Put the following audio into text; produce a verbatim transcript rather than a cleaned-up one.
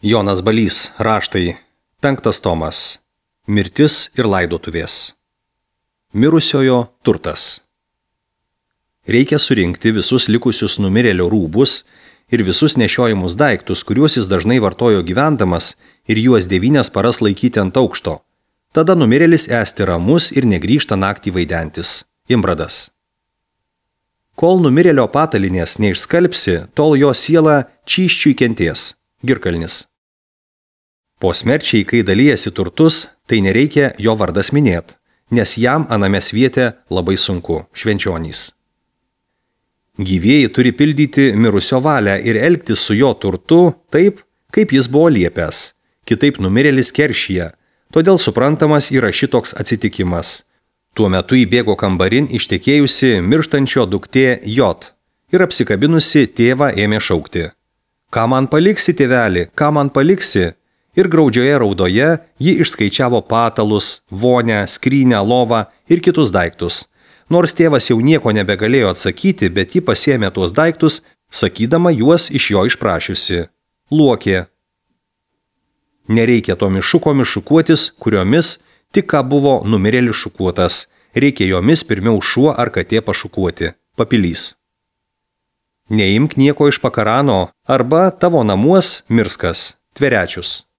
Jonas Balys, raštai, penktas tomas. Mirtis ir laidotuvės. Mirusiojo turtas. Reikia surinkti visus likusius numirėlio rūbus ir visus nešiojimus daiktus, kuriuos jis dažnai vartojo gyvendamas, ir juos devynias paras laikyti ant aukšto. Tada numirėlis esti ramus ir negrįžta naktį vaidentis. Imbradas. Kol numirėlio patalinės neišskalbsi, tol jo siela čyščiui kenties. Girkalnis. Po smerčiai, kai dalyjasi turtus, tai nereikia jo vardas minėt, nes jam aname sviete labai sunku. Švenčionys. Gyvieji turi pildyti mirusio valią ir elgtis su jo turtu taip, kaip jis buvo liepęs. Kitaip numirėlis keršyje, todėl suprantamas yra šitoks atsitikimas. Tuo metu įbėgo kambarin ištekėjusi mirštančio duktė Jot ir apsikabinusi tėvą ėmė šaukti. Ką man paliksi, tėveli, ką man paliksi? Ir graudžioje raudoje ji išskaičiavo patalus, vonę, skrynę, lovą ir kitus daiktus. Nors tėvas jau nieko nebegalėjo atsakyti, bet ji pasiėmė tuos daiktus, sakydama juos iš jo išprašiusi. Luokė. Nereikia tomis šukomis šukuotis, kuriomis tik ką buvo numirėlis šukuotas. Reikia jomis pirmiau šuo ar katė pašukuoti. Papilys. Neimk nieko iš pakarano arba tavo namuos mirskas. Tverečius.